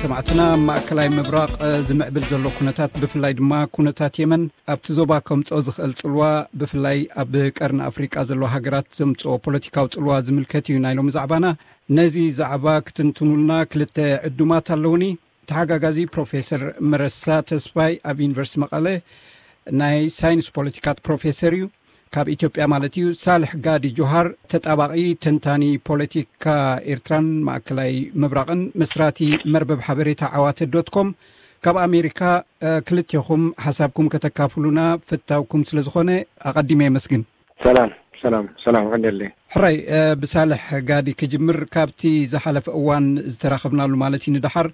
ሰማዕትና፣ ኣብ ማእከላይ ምብራቕ ዝምዕብል ዘሎ ኩነታት፣ ብፍላይ ድማ ኩነታት የመን፣ ኣብቲ ዞባ ከምጽኦ ዝኽእል ጽልዋ፣ ብፍላይ ኣብ ቀርኒ ኣፍሪቃ ዘለዋ ሃገራት ዘምጽኦ ፖለቲካዊ ጽልዋ ዝምልከት እዩ ናይ ሎሚ ዛዕባና። ነዚ ዛዕባ ክትንትኑልና ክልተ ዕዱማት ኣለውኒ። ተሓጋጋዚ ፕሮፌሰር መረሳ ተስፋይ፣ ኣብ ዩኒቨርሲቲ መቐለ ናይ ሳይንስ ፖለቲካት ፕሮፌሰር እዩ፣ ካብ ኢትዮጵያ ማለት እዩ። ሳልሕ ጋዲ ጆሃር፣ ተጣባቒ፣ ተንታኒ ፖለቲካ ኤርትራን ማእከላይ ምብራቕን፣ መስራቲ መርበብ ሓበሬታ ዓዋተ ዶት ኮም፣ ካብ ኣሜሪካ። ክልቴኹም ሓሳብኩም ከተካፍሉና ፍታውኩም ስለ ዝኾነ፣ ኣቐዲመ የመስግን። ሰላም፣ ሰላም፣ ሰላም፣ ዕንደለይ። ሕራይ፣ ብሳልሕ ጋዲ ክጅምር። ካብቲ ዝሓለፈ እዋን ዝተራኸብናሉ ማለት እዩ ንደሓር፣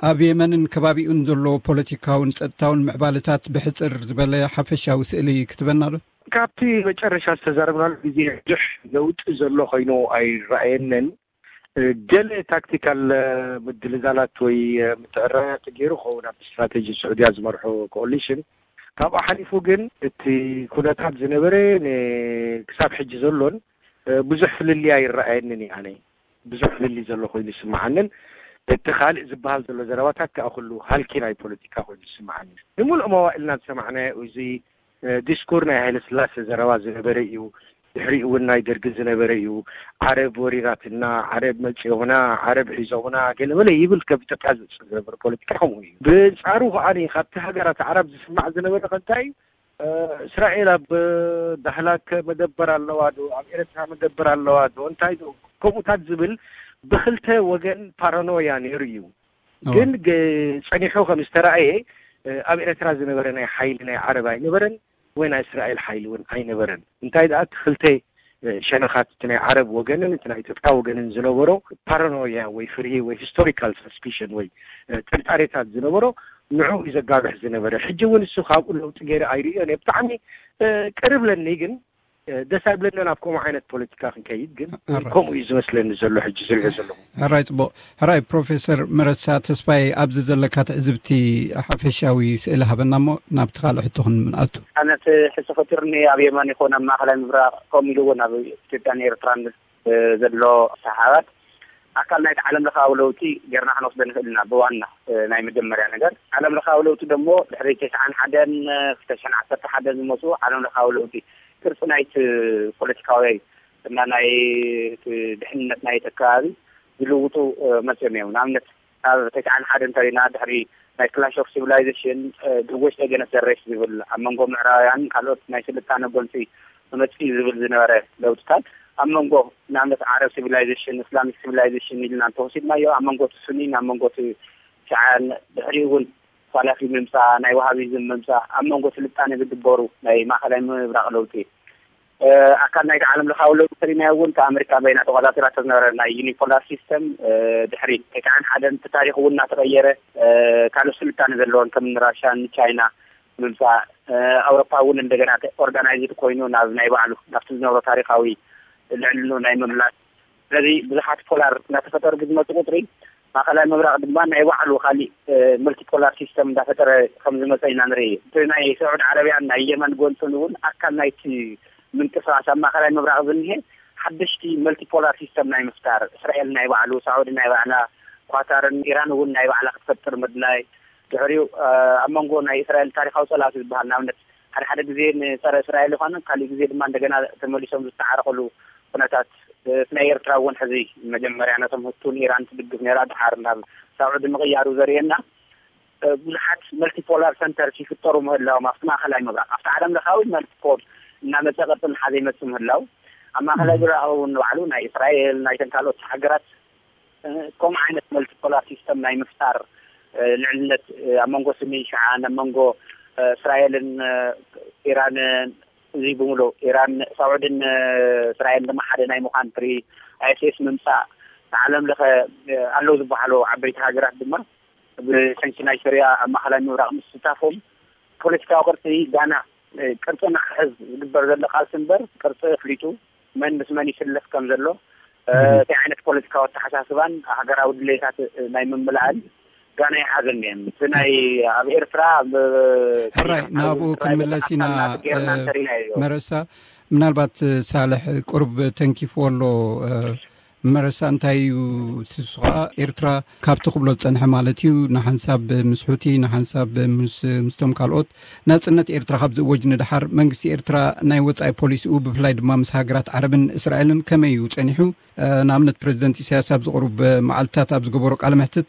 ኣብ የመንን ከባቢኡን ዘሎ ፖለቲካውን ጸጥታውን ምዕባለታት ብሕጽር ዝበለ ሓፈሻዊ ስእሊ ክትበና ዶ? ካብቲ መጨረሻ ዝተዛረብናሉ ግዜ ብዙሕ ለውጢ ዘሎ ኮይኑ ኣይረኣየንን። ገለ ታክቲካል ምድልዛላት ወይ ምትዕርራያት ገይሩ ክኸውን፣ ኣብ ስትራቴጂ ስዑድያ ዝመርሖ ኮኦሊሽን። ካብኡ ሓሊፉ ግን እቲ ኩነታት ዝነበረ ን-፣ ክሳብ ሕጂ ዘሎን ብዙሕ ፍልልይ ኣይረኣየንን እዩ። ኣነ ብዙሕ ፍልልይ ዘሎ ኮይኑ ይስምዓንን፣ እቲ ካልእ ዝበሃል ዘሎ ዘረባታት ከኣ ኩሉ ሃልኪ ናይ ፖለቲካ ኮይኑ ይስምዓኒ። ንምሉእ መዋእልና ዝሰማዕናዮ እዚ ዲስኩር ናይ ሃይለ ስላሴ ዘረባ ዝነበረ እዩ። ድሕሪኡ እውን ናይ ደርጊ ዝነበረ እዩ። ዓረብ ወሪራትና፣ ዓረብ መጺኦምና፣ ዓረብ ሒዞምና፣ ገለመለ ይብል፣ ከም ኢትዮጵያ ዝመጽእ ዝነበረ ፖለቲካ ከምኡ እዩ። ብንጻሩ ከኣ ካብቲ ሃገራት ዓረብ ዝስማዕ ዝነበረ ከ እንታይ እዩ? እስራኤል ኣብ ዳህላክ መደበር ኣለዋ ዶ? ኣብ ኤርትራ መደበር ኣለዋ ዶ? እንታይ ዶ? ከምኡታት ዝብል ብክልተ ወገን ፓራኖያ ነይሩ እዩ። ግን ጸኒሑ ከም ዝተራእየ፣ ኣብ ኤርትራ ዝነበረ ናይ ሓይሊ ናይ ዓረብ ኣይነበረን፣ ወይ ናይ እስራኤል ሓይሊ እውን ኣይነበረን። እንታይ ደኣ፣ እቲ ክልተ ሸነኻት፣ እቲ ናይ ዓረብ ወገንን እቲ ናይ ኢትዮጵያ ወገንን ዝነበሮ ፓራኖያ ወይ ፍርሂ ወይ ሂስቶሪካል ሰስፒሽን ወይ ጥርጣሬታት ዝነበሮ፣ ንዑ እዩ ዘጋብሕ ዝነበረ። ሕጂ እውን እሱ ካብኡ ለውጢ ገይረ ኣይርእዮን እየ። ብጣዕሚ ቅርብ ለኒ ግን ደስ ኣይብለንን ኣብ ከምኡ ዓይነት ፖለቲካ ክንከይድ። ግን ከምኡ እዩ ዝመስለኒ ዘሎ ሕጂ ዝሪኦ ዘለኹ። ሕራይ፣ ጽቡቕ። ሕራይ፣ ፕሮፌሰር መረሳ ተስፋይ፣ ኣብዚ ዘለካ ትዕዝብቲ ሓፈሻዊ ስእሊ ሃበና እሞ ናብቲ ካልእ ሕቶ ክንኣቱ። ኣነቲ ሕቶ ፈጢሩኒ፣ ኣብ የመን ይኹን ኣብ ማእኸላይ ምብራቕ፣ ከምኡ ኢሉ እውን ኣብ ኢትዮጵያን ኤርትራን ዘሎ ሰሓባት ኣካል ናይቲ ዓለም ለኻዊ ለውጢ ጌርና ክንወስዶ ንኽእል ኢና። ብዋና ናይ መጀመርያ ነገር ዓለም ለኻዊ ለውጢ ደሞ ድሕሪ ተስዓን ሓደን ክልተ ሽሕን ዓሰርተ ሓደን ዝመፁ ዓለም ለኻዊ ለውጢ ቅርፂ ናይቲ ፖለቲካዊ እና ናይ ድሕንነት ናይቲ ከባቢ ዝልውጡ መፅኦም እዮም። ንኣብነት ካብ ተስዓን ሓደን እንተሪና ድሕሪ ናይ ክላሽ ኦፍ ሲቪላይዜሽን ድወሽ ተገነት ዘሬስ ዝብል ኣብ መንጎ ምዕራባውያን ካልኦት ናይ ስልጣነ ጎንፂ መመፅኢ ዝብል ዝነበረ ለውጥታት ኣብ መንጎ ንኣብነት ዓረብ ሲቪላይዜሽን እስላሚክ ሲቪላይዜሽን ኢልና እንተወሲድናዮ ኣብ መንጎ እቲ ሱኒን ኣብ መንጎ እቲ ሸዓን ድሕሪኡ እውን ኳላፊ ምምፃእ ናይ ዋሃቢዝም ምምፃእ ኣብ መንጎ ስልጣነ ዝግበሩ ናይ ማእኸላይ ምብራቕ ለውጢ ኣካል ናይቲ ዓለም ለኻዊ ለውጢ ተሪናዮ እውን ካብ ኣሜሪካ በይና ተቆፃፂራቶ ዝነበረ ናይ ዩኒፖላር ሲስተም ድሕሪ ተስዓን ሓደን እቲ ታሪክ እውን እናተቀየረ ካልኦት ስልጣነ ዘለዎን ከም ራሻን ቻይና ምምፃእ ኣውሮፓ እውን እንደገና ኦርጋናይዝድ ኮይኑ ናብ ናይ ባዕሉ ናብቲ ዝነበሮ ታሪካዊ ልዕልኑ ናይ ምምላስ ስለዚ ብዙሓት ፖላር እናተፈጠሩ ብዝመፁ ቁፅሪ ማእኸላይ ምብራቅ ድማ ናይ ባዕሉ ካሊእ መልቲፖላር ሲስተም እንዳፈጠረ ከም ዝመፀ ኢና ንርኢ። እቲ ናይ ስዑድ ዓረብያን ናይ የመን ጎንፅን እውን ኣካል ናይቲ ምንቅስቃስ ኣብ ማእኸላይ ምብራቅ ዝኒሀ ሓደሽቲ መልቲፖላር ሲስተም ናይ ምፍጣር እስራኤል ናይ ባዕሉ፣ ሳዑዲ ናይ ባዕላ፣ ኳታርን ኢራን እውን ናይ ባዕላ ክትፈጥር ምድላይ ድሕሪኡ ኣብ መንጎ ናይ እስራኤል ታሪካዊ ፀላእቲ ዝበሃል ንኣብነት ሓደ ሓደ ግዜ ንፀረ እስራኤል ይኾኑ ካሊእ ግዜ ድማ እንደገና ተመሊሶም ዝተዓረቅሉ ኩነታት እቲ ናይ ኤርትራ እውን ሕዚ መጀመርያ ነቶም ህቱን ኢራን ትድግፍ ነራ ድሓር ናብ ሳዑዲ ምቕያሩ ዘርእየና ብዙሓት መልቲፖላር ሰንተርስ ይፍጠሩ ምህላዎም ኣብቲ ማእኸላይ ምብራቅ ኣብቲ ዓለም ለኻዊ መልቲፖል እናመፀ ቅርፂ እናሓዘ ይመፅእ ምህላው ኣብ ማእኸላይ ምብራቅ እውን ንባዕሉ ናይ እስራኤል ናይተን ካልኦት ሃገራት ከምኡ ዓይነት መልቲፖላር ሲስተም ናይ ምፍጣር ልዕልነት ኣብ መንጎ ስኒ ሸዓን ኣብ መንጎ እስራኤልን ኢራንን እዚ ብምሉእ ኢራን ሳዑድን እስራኤል ድማ ሓደ ናይ ምዃን ትሪ ኣይኤስኤስ ምምፃእ ንዓለም ለኸ ኣለዉ ዝበሃሉ ዓበይቲ ሃገራት ድማ ብሰንኪ ናይ ሶርያ ኣብ ማእኸላይ ምብራቕ ምስታፎም ፖለቲካዊ ቅርፂ ጋና ቅርፂ ንክሕዝ ዝግበር ዘሎ ቃልሲ እምበር ቅርፂ ኣፍሊጡ መን ምስ መን ይስለፍ ከም ዘሎ እቲ ዓይነት ፖለቲካዊ ኣተሓሳስባን ሃገራዊ ድሌታት ናይ ምምላእን ጋና ይሓዘን እየን እቲ ናይ ኣብ ኤርትራ ሕራይ ናብኡ ክንምለስ ኢና። መረሳ ምናልባት ሳልሕ ቁርብ ተንኪፍዎ ኣሎ መረሳ እንታይ እዩ? ንሱ ከዓ ኤርትራ ካብቲ ክብሎ ዝጸንሐ ማለት እዩ፣ ንሓንሳብ ምስ ሑቲ፣ ንሓንሳብ ምስ ምስቶም ካልኦት ናጽነት ኤርትራ ካብ ዝእወጅ ንድሓር፣ መንግስቲ ኤርትራ ናይ ወጻኢ ፖሊሲኡ ብፍላይ ድማ ምስ ሃገራት ዓረብን እስራኤልን ከመይ እዩ ጸኒሑ? ንኣብነት ፕሬዚደንት ኢሳያስ ኣብ ዝቕሩብ መዓልትታት ኣብ ዝገበሮ ቃለ መሕትት፣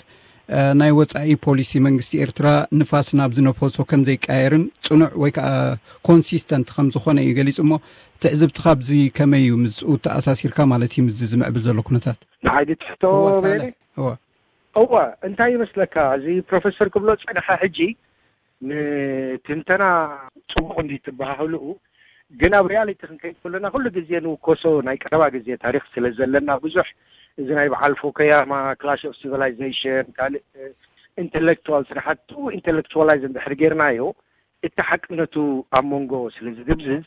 ናይ ወጻኢ ፖሊሲ መንግስቲ ኤርትራ ንፋስ ናብ ዝነፈሶ ከም ዘይቀያየርን ጽኑዕ ወይ ከዓ ኮንሲስተንት ከም ዝኾነ እዩ ገሊጹ። እሞ ትዕዝብቲ ካብዚ ከመይ እዩ? ምስኡ ተኣሳሲርካ ማለት እዩ፣ ምስዚ ዝምዕብል ዘሎ ኩነታት። ንዓይ ትሕቶ እወ፣ ሳልሕ፣ እወ። እወ፣ እንታይ ይመስለካ፣ እዚ ፕሮፌሰር ክብሎ ዝጸንሐ ሕጂ ንትንተና ጽቡቕ እንዲ ትበሃህልኡ፣ ግን ኣብ ሪያሊቲ ክንከይድ ከለና ኩሉ ግዜ ንውከሶ ናይ ቀረባ ግዜ ታሪኽ ስለ ዘለና፣ ብዙሕ እዚ ናይ በዓል ፉኩያማ ክላሽ ኦፍ ሲቪላይዜሽን፣ ካልእ ኢንተሌክቹዋል ስራሕቱ ኢንተሌክቹዋላይዝ እንድሕር ጌርናዮ፣ እቲ ሓቅነቱ ኣብ መንጎ ስለ ዝድብዝዝ፣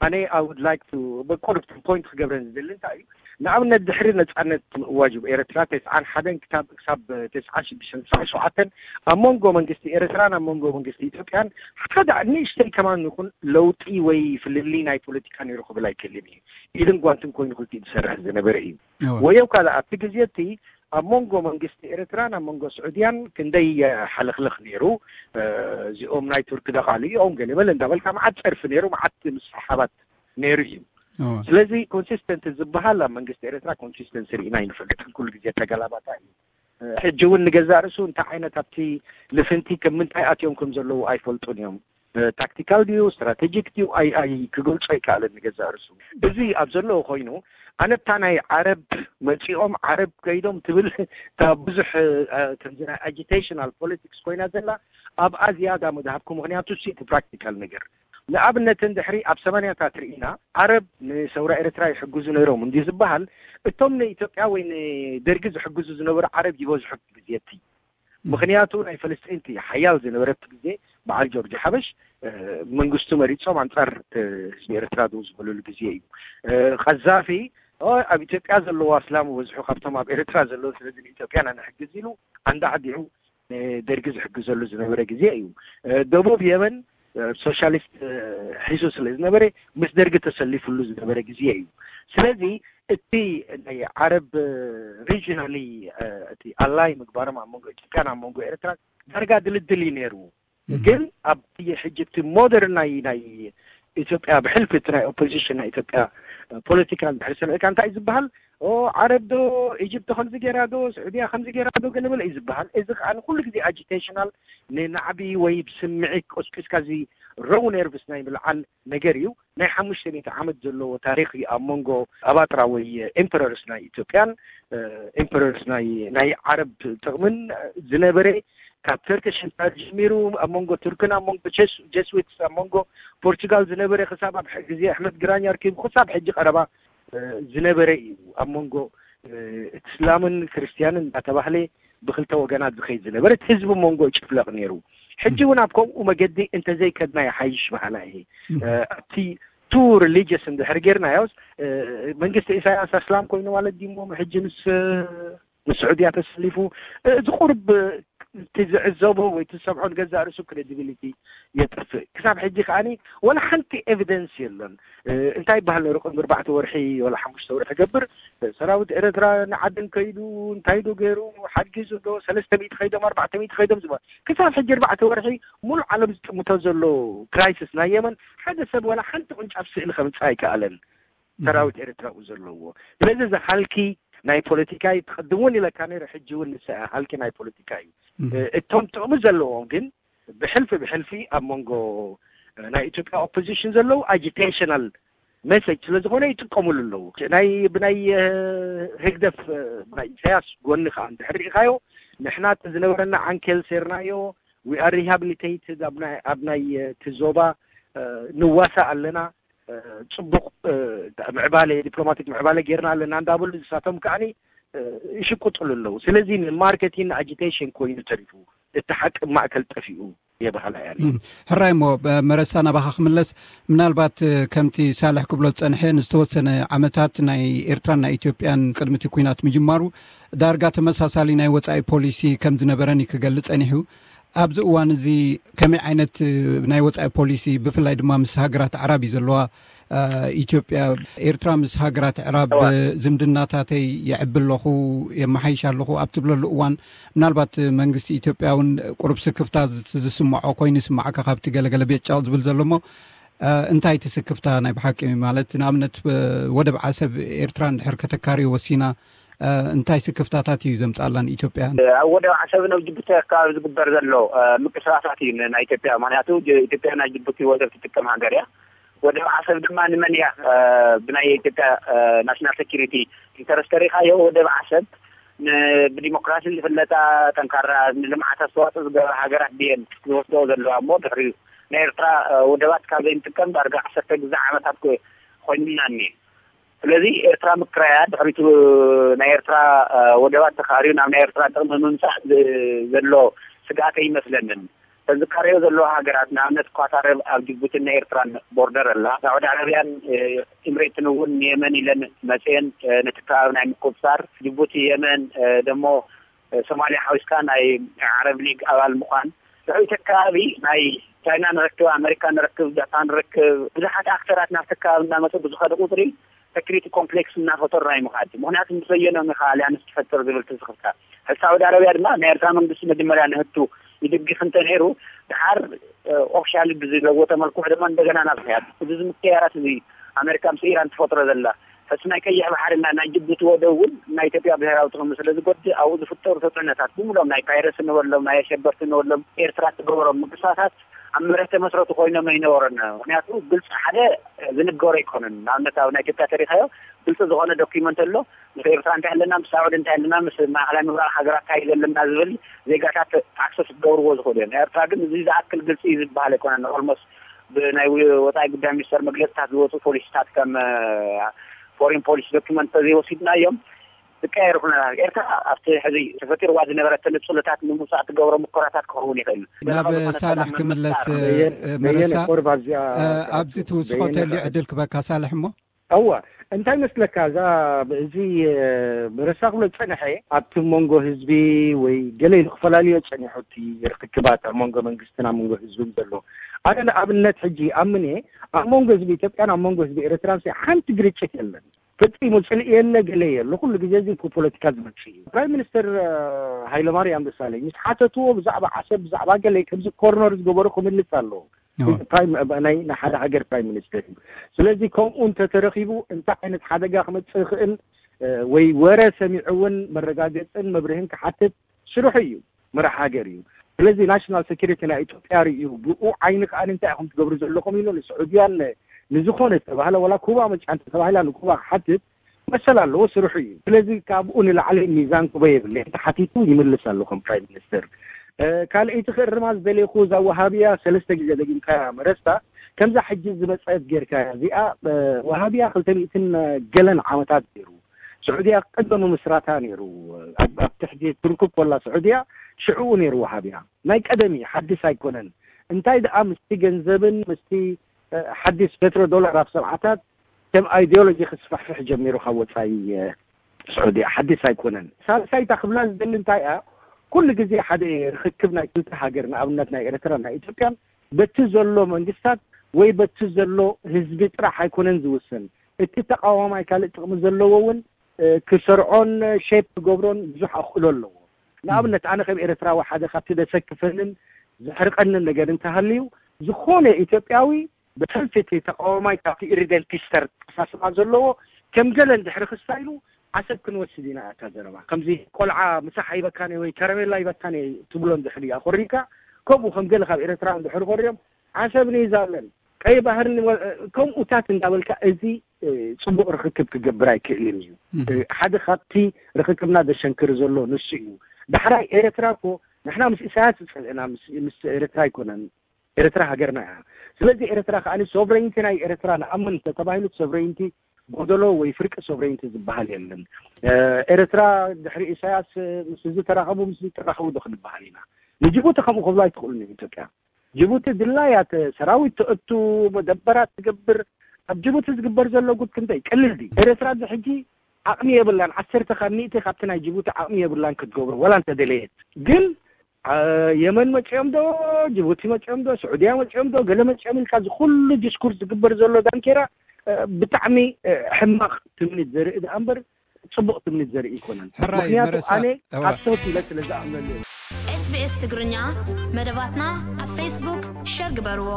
ኣነ I would like to በቁርብ ፖይንት ክገብረን ዝደሊ እንታይ እዩ፣ ንኣብነት ድሕሪ ነጻነት ምእዋጅ ኤርትራ ተስዓን ሓደን ክሳብ ክሳብ ተስዓን ሽዱሽተን ተስዓን ሸውዓተን ኣብ መንጎ መንግስቲ ኤርትራን ኣብ መንጎ መንግስቲ ኢትዮጵያን ሓደ ንእሽተይ ከማን ይኹን ለውጢ ወይ ፍልልይ ናይ ፖለቲካ ነይሩ ክብል ኣይክእልን እዩ። ኢድን ጓንትን ኮይኑ ክልቲኡ ዝሰርሕ ዝነበረ እዩ። እወ። ወየው ካልእ ኣብቲ ግዜ እቲ ኣብ መንጎ መንግስቲ ኤርትራን ኣብ መንጎ ስዑድያን ክንደይ ሓለኽለኽ ነይሩ። እዚኦም ናይ ቱርክ ደቓሉ እዮም ገለ በለ እንዳበልካ መዓት ጸርፊ ነይሩ፣ መዓት ምስሕሓባት ነይሩ እዩ። እወ። ስለዚ ኮንሲስተንት ዝበሃል ኣብ መንግስቲ ኤርትራ ኮንሲስተንሲ ርኢና ኣይንፈልጥን። ኩሉ ግዜ ተገላባጣ እዩ። ሕጂ እውን ንገዛእ ርእሱ እንታይ ዓይነት ኣብቲ ልፍንቲ ከም ምንታይ ኣትዮም ከም ዘለዉ ኣይፈልጡን እዮም። ታክቲካል ድዩ ስትራቴጂክ ድዩ ኣይ ኣይ ክገልጾ ኣይከኣልን ንገዛእ ርእሱ። እዚ ኣብ ዘለዎ ኮይኑ ኣነታ ናይ ዓረብ መጺኦም ዓረብ ከይዶም ትብል እታ ብዙሕ ከምዚ ናይ ኣጂቴሽናል ፖለቲክስ ኮይና ዘላ ኣብኣ ዝያዳ ምድሃብኩ። ምክንያቱ እቲ ፕራክቲካል ነገር ንኣብነት እንድሕሪ ኣብ ሰማንያታት ርኢና ዓረብ ንሰውራ ኤርትራ ይሕግዙ ነይሮም እንዲ ዝበሃል እቶም ንኢትዮጵያ ወይ ንደርጊ ዝሕግዙ ዝነበሩ ዓረብ ይበዝሑ ግዜ እቲ ምክንያቱ ናይ ፈለስጢን እቲ ሓያል ዝነበረቲ ግዜ በዓል ጆርጅ ሓበሽ መንግስቱ መሪጾም ኣንጻር ህዝቢ ኤርትራ ደው ዝበለሉ ግዜ እዩ። ቀዛፊ ኣብ ኢትዮጵያ ዘለዎ ኣስላም በዝሑ ካብቶም ኣብ ኤርትራ ዘለዉ ስለዚ ንኢትዮጵያ ንሕግዝ ኢሉ ኣንዳዕዲዑ ደርጊ ዝሕግዘሉ ዝነበረ ግዜ እዩ። ደቡብ የመን ሶሻሊስት ሒዙ ስለ ዝነበረ ምስ ደርጊ ተሰሊፍሉ ዝነበረ ግዜ እዩ። ስለዚ እቲ ናይ ዓረብ ሪጂናሊ እቲ ኣላይ ምግባሮም ኣብ መንጎ ኢትዮጵያን ኣብ መንጎ ኤርትራ ዳርጋ ድልድል እዩ ነይሩ። ግን ኣብ ሕጂ እቲ ሞደርን ናይ ናይ ኢትዮጵያ ብሕልፊ እቲ ናይ ኦፖዚሽን ናይ ኢትዮጵያ ፖለቲካ እንድሕር ሰሚዕካ እንታይ እዩ ዝበሃል? ኦ ዓረብ ዶ ኢጅፕት ከምዚ ገይራ ዶ ስዑድያ ከምዚ ገይራ ዶ ገለበለ እዩ ዝበሃል። እዚ ከዓ ንኩሉ ግዜ ኣጂቴሽናል ንናዕቢ ወይ ብስምዒት ቆስቂስካ እዚ ሮው ነርቭስ ናይ ምልዓል ነገር እዩ። ናይ ሓሙሽተ ሚእቲ ዓመት ዘለዎ ታሪኽ እዩ ኣብ መንጎ ኣባጥራ ወይ ኤምፐረርስ ናይ ኢትዮጵያን ኤምፐረርስ ናይ ናይ ዓረብ ጥቕምን ዝነበረ ካብ ተርኪሽ ኤምፓየር ጀሚሩ ኣብ መንጎ ቱርክን ኣብ መንጎ ጀስዊትስ ኣብ መንጎ ፖርቹጋል ዝነበረ ክሳብ ኣብ ግዜ ኣሕመድ ግራኝ ኣርኪቡ ክሳብ ሕጂ ቀረባ ዝነበረ እዩ። ኣብ መንጎ እስላምን ክርስትያንን እንዳተባህለ ብክልተ ወገናት ዝኸይድ ዝነበረ ህዝቢ መንጎ ይጭፍለቕ ነይሩ። ሕጂ እውን ኣብ ከምኡ መገዲ እንተዘይከድና ይሓይሽ በሃላ እየ። ኣብቲ ቱ ሪሊጅስ እንድሕር ጌርናዮስ መንግስቲ ኢሳያስ ኣስላም ኮይኑ ማለት ድሞ ሕጂ ምስ ምስ ስዑድያ ተሰሊፉ እዚ ቁርብ እቲ ዝዕዘቦ ወይ እቲ ዝሰምዖ ንገዛእ ርእሱ ክሬዲቢሊቲ የጥፍእ። ክሳብ ሕጂ ከዓኒ ወላ ሓንቲ ኤቪደንስ የለን። እንታይ ይበሃል ነይሩ ቅድሚ ኣርባዕተ ወርሒ ወላ ሓሙሽተ ወርሒ ገብር ሰራዊት ኤርትራ ንዓድን ከይዱ እንታይ ዶ ገይሩ ሓጊዙ ዶ ሰለስተ ሚእቲ ከይዶም ኣርባዕተ ሚእቲ ከይዶም ዝበሃል ክሳብ ሕጂ ኣርባዕተ ወርሒ ሙሉእ ዓለም ዝጥምቶ ዘሎ ክራይሲስ ናይ የመን ሓደ ሰብ ወላ ሓንቲ ቁንጫፍ ስእሊ ከምፅእ ኣይከኣለን። ሰራዊት ኤርትራ ኡ ዘለዎ ስለዚ እዚ ሃልኪ ናይ ፖለቲካ እዩ። ትቐድም እውን ኢለካ ነይረ ሕጂ እውን ንሰ ሃልኪ ናይ ፖለቲካ እዩ። እቶም ጥቕሚ ዘለዎም ግን ብሕልፊ ብሕልፊ ኣብ መንጎ ናይ ኢትዮጵያ ኦፖዚሽን ዘለዉ ኣጂቴሽናል ሜሴጅ ስለ ዝኾነ ይጥቀምሉ ኣለዉ። ናይ ብናይ ህግደፍ ናይ ኢሳያስ ጎኒ ከዓ እንድሕር ርኢኻዮ ንሕና እቲ ዝነበረና ዓንኬል ሴርናዮ we are rehabilitated ኣብ ናይ እቲ ዞባ ንዋሳእ ኣለና። ፅቡቕ ምዕባለ ዲፕሎማቲክ ምዕባለ ጌርና ኣለና እንዳበሉ ዝሳቶም ከዓኒ ይሽቁጥሉ ኣለዉ። ስለዚ ንማርኬቲን ንኣጂቴሽን ኮይኑ ተሪፉ እቲ ሓቂ ማእከል ጠፊኡ የባህላ እያ። ሕራይ እሞ መረሳ ናባኻ ክምለስ ምናልባት ከምቲ ሳልሕ ክብሎ ዝጸንሐ ንዝተወሰነ ዓመታት ናይ ኤርትራን ናይ ኢትዮጵያን ቅድሚ እቲ ኲናት ምጅማሩ ዳርጋ ተመሳሳሊ ናይ ወጻኢ ፖሊሲ ከም ዝነበረን እዩ ክገልጽ ጸኒሑ። ኣብዚ እዋን እዚ ከመይ ዓይነት ናይ ወጻኢ ፖሊሲ ብፍላይ ድማ ምስ ሃገራት ኣዕራብ እዩ ዘለዋ ኢትዮጵያ፣ ኤርትራ ምስ ሃገራት ዕራብ ዝምድናታተይ የዕቢ ኣለኹ፣ የመሓይሽ ኣለኹ ኣብ ትብለሉ እዋን፣ ምናልባት መንግስቲ ኢትዮጵያ እውን ቁሩብ ስክፍታ ዝስምዖ ኮይኑ ይስማዓካ፣ ካብቲ ገለገለ ቤጫው ዝብል ዘሎ እሞ፣ እንታይ እቲ ስክፍታ ናይ ብሓቂ? ማለት ንኣብነት ወደብ ዓሰብ ኤርትራ እንድሕር ከተካርዮ ወሲና፣ እንታይ ስክፍታታት እዩ ዘምጻላ ንኢትዮጵያ? ኣብ ወደብ ዓሰብን ኣብ ጅቡቲ ኣከባቢ ዝግበር ዘሎ ምቅስቃሳት እዩ ናይ ኢትዮጵያ። ምክንያቱ ኢትዮጵያ ናይ ጅቡቲ ወደብ ትጥቀም ሃገር እያ። ወደብ ዓሰብ ድማ ንመን እያ? ብናይ ኢትዮጵያ ናሽናል ሴኪሪቲ ኢንተረስት ተሪኻዮ፣ ወደብ ዓሰብ ብዲሞክራሲ ዝፍለጣ፣ ጠንካራ፣ ንልምዓት ኣስተዋፅኦ ዝገበራ ሃገራት ድየን ዝወስደኦ ዘለዋ? እሞ ድሕሪኡ ናይ ኤርትራ ወደባት ካብ ዘይንጥቀም ዳርጋ ዓሰርተ ግዜ ዓመታት ኮይኑና እኒኤ። ስለዚ ኤርትራ ምክራያ፣ ድሕሪቱ ናይ ኤርትራ ወደባት ተኻርዩ ናብ ናይ ኤርትራ ጥቕሚ ምምፃእ ዘሎ ስግኣት ኣይመስለንን። ተዝካረዮ ዘለዎ ሃገራት፣ ንኣብነት ኳታር ኣብ ጅቡትን ናይ ኤርትራን ቦርደር ኣላ። ሳዑዲ ዓረብያን ኤምሬትን እውን ንየመን ኢለን መፅየን ነቲ ከባቢ ናይ ምቁፅፃር፣ ጅቡቲ፣ የመን፣ ደሞ ሶማልያ ሓዊስካ ናይ ዓረብ ሊግ ኣባል ምዃን። ልዕሊ እቲ ከባቢ ናይ ቻይና ንረክብ፣ ኣመሪካ ንረክብ፣ ጃፓን ንረክብ፣ ብዙሓት ኣክተራት ናብቲ ከባቢ እናመፁ ብዝኸዱ ቁፅሪ ሴኩሪቲ ኮምፕሌክስ እናፈጠሩ ናይ ምኻድ። ምኽንያቱ ምስ በየኖም ኢኻ ኣልያንስ ትፈጥር ዝብል ትስኽፍታ። ሕዚ ሳዑዲ ዓረብያ ድማ ናይ ኤርትራ መንግስቲ መጀመርያ ንህቱ ይድግፍ እንተ ነይሩ፣ ድሓር ኦፊሻሊ ብዝለወጠ መልክዑ ድማ እንደገና ናብ ሕያት እዚ ምክያራት እዚ ኣመሪካ ምስ ኢራን ትፈጥሮ ዘላ፣ ሕዚ ናይ ቀይሕ ባሕሪ እና ናይ ጅቡቲ ወደብ እውን ናይ ኢትዮጵያ ብሔራዊ ጥቕሚ ስለ ዝጎድእ ኣብኡ ዝፍጠሩ ተፅዕኖታት ብምሎም ናይ ፓይረሲ ንበሎም ናይ ኣሸበርቲ ንበሎም ኤርትራ ትገብሮም ምንቅስቃሳት ኣብ መሬት ተመስረቱ ኮይኖም ኣይነበረን። ምክንያቱ ግልፂ ሓደ ዝንገሮ ኣይኮነን። ንኣብነት ኣብ ናይ ኢትዮጵያ ተሪኻዮ ግልፂ ዝኾነ ዶኪመንት ኣሎ። ምስ ኤርትራ እንታይ ኣለና፣ ምስ ሳዑዲ እንታይ ኣለና፣ ምስ ማእኸላይ ምብራቕ ሃገራት እንታይ ዘለና ዝብል ዜጋታት ኣክሰስ ክገብርዎ ዝኽእሉ እዮም። ኤርትራ ግን እዚ ዝኣክል ግልፂ ዝበሃል ኣይኮነን። ኦልሞስት ብናይ ወፃኢ ጉዳይ ሚኒስተር መግለፅታት ዝወፁ ፖሊሲታት ከም ፎሪን ፖሊሲ ዶኪመንት ተዘይወሲድናዮም ዝቀየሩ ኩነታት ኤርትራ ኣብቲ ሕዚ ተፈጢርዋ ዝነበረ ተነፅሎታት ንምውፃእ ትገብሮ ሙከራታት ክኸውን ይኽእል። ናብ ሳልሕ ክምለስ። መረሳ፣ ኣብዚ ትውስኾ ተልዩ ዕድል ክበካ ሳልሕ እሞ። እወ፣ እንታይ መስለካ፣ እዛ እዚ መረሳ ክብሎ ዝፀንሐ ኣብቲ መንጎ ህዝቢ ወይ ገለ ኢሉ ክፈላልዮ ፀኒሑ፣ እቲ ርክክባት ኣብ መንጎ መንግስትን ኣብ መንጎ ህዝብን ዘሎ። ኣነ ንኣብነት ሕጂ ኣምን እየ፣ ኣብ መንጎ ህዝቢ ኢትዮጵያን ኣብ መንጎ ህዝቢ ኤርትራን ሓንቲ ግርጭት የለን። ፈጺሙ ጽልኢ የለ፣ ገለ የለ። ኩሉ ግዜ እዚ ብፖለቲካ ዝመጽእ እዩ። ፕራይም ሚኒስተር ሃይለማርያም ደሳለኝ ምስ ሓተትዎ ብዛዕባ ዓሰብ፣ ብዛዕባ ገለ ከምዚ ኮርነር ዝገበሩ ክምልስ ኣለዎ። ናይ ሓደ ሃገር ፕራይም ሚኒስተር እዩ። ስለዚ ከምኡ እንተተረኺቡ እንታይ ዓይነት ሓደጋ ክመጽእ ይኽእል ወይ ወረ ሰሚዑ እውን መረጋገጽን መብርህን ክሓትት ስርሑ እዩ። መራሕ ሃገር እዩ። ስለዚ ናሽናል ሴኩሪቲ ናይ ኢትዮጵያ ርእዩ ብኡ ዓይኒ ከኣ እንታይ ኢኹም ትገብሩ ዘለኹም ኢሉ ንስዑድያን ንዝኾነ ዝተባህለ ዋላ ኩባ መጫንቲ ተባሂላ ንኩባ ክሓትት መሰል ኣለዎ፣ ስርሑ እዩ። ስለዚ ካብኡ ንላዕሊ ሚዛን ክቦ የብለይ። ተሓቲቱ ይምልስ ኣሎ ከም ፕራይም ሚኒስተር። ካልኣይቲ ክእርማ ዝደለይኩ እዛ ወሃብያ ሰለስተ ግዜ ደጊምካያ መረስታ ከምዛ ሕጂ ዝመፀት ጌርካያ እዚኣ። ወሃብያ ክልተ ሚእትን ገለን ዓመታት ገይሩ ስዑድያ ቅድሚ ምምስራታ ነይሩ ኣብ ትሕቲ ቱርኪ ኮላ ስዑድያ ሽዕኡ ነይሩ ወሃብያ ናይ ቀደም እዩ፣ ሓድስ ኣይኮነን። እንታይ ደኣ ምስቲ ገንዘብን ምስቲ ሓድስ ፔትሮ ዶላር ኣብ ሰብዓታት ከም ኣይዲዮሎጂ ክስፋሕፍሕ ጀሚሩ ካብ ወፃኢ ስዑድያ ሓድስ ኣይኮነን። ሳልሳይታ ክብላ ዝደሊ እንታይ እያ፣ ኩሉ ግዜ ሓደ ርክክብ ናይ ክልተ ሃገር ንኣብነት ናይ ኤርትራ ናይ ኢትዮጵያን በቲ ዘሎ መንግስታት ወይ በቲ ዘሎ ህዝቢ ጥራሕ ኣይኮነን ዝውስን። እቲ ተቃዋማይ ካልእ ጥቕሚ ዘለዎ እውን ክሰርዖን ሼፕ ክገብሮን ብዙሕ ኣኽእሎ ኣለዎ። ንኣብነት ኣነ ከም ኤርትራዊ ሓደ ካብቲ ዘሰክፈንን ዘሕርቀንን ነገር እንተሃልዩ ዝኾነ ኢትዮጵያዊ ብሕልፊ እቲ ተቃዋማይ ካብቲ ኢሪደንቲስተር ኣተሓሳስባ ዘለዎ ከም ገለ እንድሕሪ ክስታይሉ ዓሰብ ክንወስድ ኢና እታ ዘረባ ከምዚ ቆልዓ ምሳሕ ኣይበካን ወይ ከረሜላ ኣይበካን ትብሎ እንድሕሪ ኣኾሪካ ከምኡ ከም ገለ ካብ ኤርትራ እንድሕሪ ኮርዮም ዓሰብ ንይዛለን ቀይ ባህርን ከምኡታት እንዳበልካ እዚ ፅቡቅ ርክክብ ክገብር ኣይክእልን እዩ። ሓደ ካብቲ ርክክብና ዘሸንክር ዘሎ ንሱ እዩ። ዳሕራይ ኤርትራ እኮ ንሕና ምስ ኢሳያስ ዝፀልእና ምስ ኤርትራ ኣይኮነን። ኤርትራ ሃገርና እያ። ስለዚ ኤርትራ ከኣ ሶቨሬንቲ ናይ ኤርትራ ንኣምን ተተባሂሉ ሶቨሬንቲ ጎደሎ ወይ ፍርቂ ሶቨሬንቲ ዝበሃል የለን። ኤርትራ ድሕሪ ኢሳያስ ምስ እዚ ተራኸቡ ምስ እዚ ተራኸቡ ዶ ክንበሃል ኢና? ንጅቡቲ ከምኡ ክብሉ ኣይትኽእሉን ኢትዮጵያ። ጅቡቲ ድላያ ሰራዊት ተእቱ፣ መደበራት ትገብር። ኣብ ጅቡቲ ዝግበር ዘሎ ጉድ ክንደይ ቀሊል ድዩ? ኤርትራ እዚ ሕጂ ዓቕሚ የብላን። ዓሰርተ ካብ ሚእቲ ካብቲ ናይ ጅቡቲ ዓቕሚ የብላን ክትገብሮ፣ ወላ እንተደለየት። ግን የመን መጺኦም ዶ፣ ጅቡቲ መጺኦም ዶ፣ ስዑድያ መጺኦም ዶ፣ ገለ መጺኦም ኢልካ እዚ ኩሉ ዲስኩርስ ዝግበር ዘሎ ዳንኬራ ብጣዕሚ ሕማቕ ትምኒት ዘርኢ ደኣ እምበር ጽቡቕ ትምኒት ዘርኢ ኣይኮነን። ሕራይ ምክንያቱ መረሳ ኣነ እዋ። ሓሶት ኢለ ስለ ዝኣምነሉ እየ። SBS ትግርኛ መደባትና ኣብ ፌስቡክ ሸር ግበርዎ።